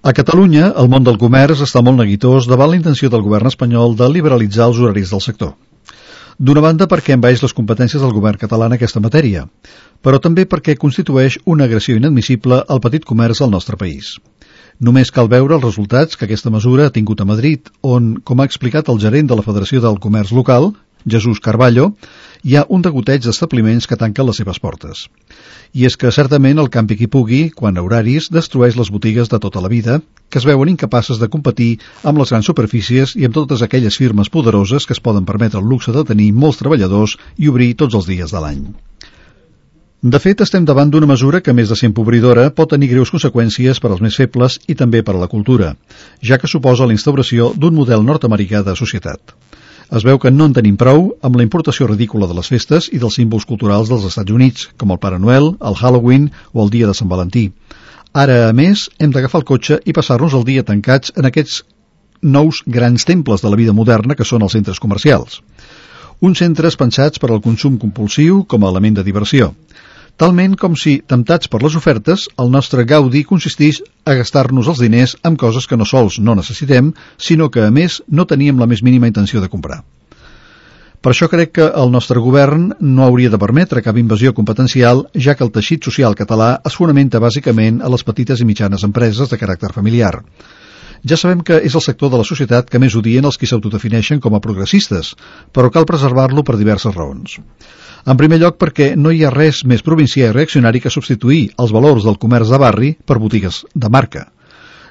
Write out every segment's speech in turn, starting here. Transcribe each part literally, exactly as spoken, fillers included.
A Catalunya, el món del comerç està molt neguitós davant la intenció del govern espanyol de liberalitzar els horaris del sector. D'una banda perquè envaeix les competències del govern català en aquesta matèria, però també perquè constitueix una agressió inadmissible al petit comerç al nostre país. Només cal veure els resultats que aquesta mesura ha tingut a Madrid, on, com ha explicat el gerent de la Federació del Comerç Local, Jesús Carballo, hi ha un degoteig d'establiments que tanquen les seves portes. I és que certament el campi qui pugui, quan a horaris, destrueix les botigues de tota la vida, que es veuen incapaces de competir amb les grans superfícies i amb totes aquelles firmes poderoses que es poden permetre el luxe de tenir molts treballadors i obrir tots els dies de l'any. De fet, estem davant d'una mesura que, a més de ser empobridora, pot tenir greus conseqüències per als més febles i també per a la cultura, ja que suposa la instauració d'un model nord-americà de societat. Es veu que no en tenim prou amb la importació ridícula de les festes i dels símbols culturals dels Estats Units, com el Pare Noel, el Halloween o el dia de Sant Valentí. Ara, a més, hem d'agafar el cotxe i passar-nos el dia tancats en aquests nous grans temples de la vida moderna que són els centres comercials. Uns centres pensats per al consum compulsiu com a element de diversió. Talment com si, temptats per les ofertes, el nostre gaudi consistís a gastar-nos els diners amb coses que no sols no necessitem, sinó que, a més, no teníem la més mínima intenció de comprar. Per això crec que el nostre govern no hauria de permetre cap invasió competencial, ja que el teixit social català es fonamenta bàsicament a les petites i mitjanes empreses de caràcter familiar. Ja sabem que és el sector de la societat que més odien els qui s'autodefineixen com a progressistes, però cal preservar-lo per diverses raons. En primer lloc perquè no hi ha res més provincià i reaccionari que substituir els valors del comerç de barri per botigues de marca.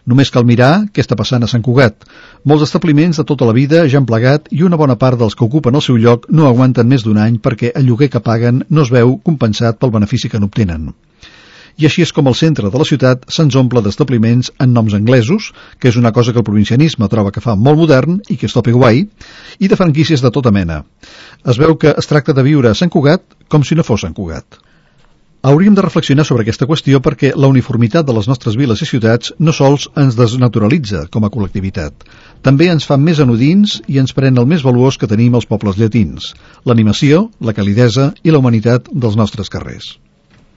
Només cal mirar què està passant a Sant Cugat. Molts establiments de tota la vida ja han plegat i una bona part dels que ocupen el seu lloc no aguanten més d'un any perquè el lloguer que paguen no es veu compensat pel benefici que n'obtenen. I així és com el centre de la ciutat se'ns omple d'establiments en noms anglesos, que és una cosa que el provincianisme troba que fa molt modern i que és top i guai, i de franquícies de tota mena. Es veu que es tracta de viure a Sant Cugat com si no fos Sant Cugat. Hauríem de reflexionar sobre aquesta qüestió perquè la uniformitat de les nostres viles i ciutats no sols ens desnaturalitza com a col·lectivitat, també ens fa més anodins i ens pren el més valuós que tenim els pobles llatins, l'animació, la calidesa i la humanitat dels nostres carrers.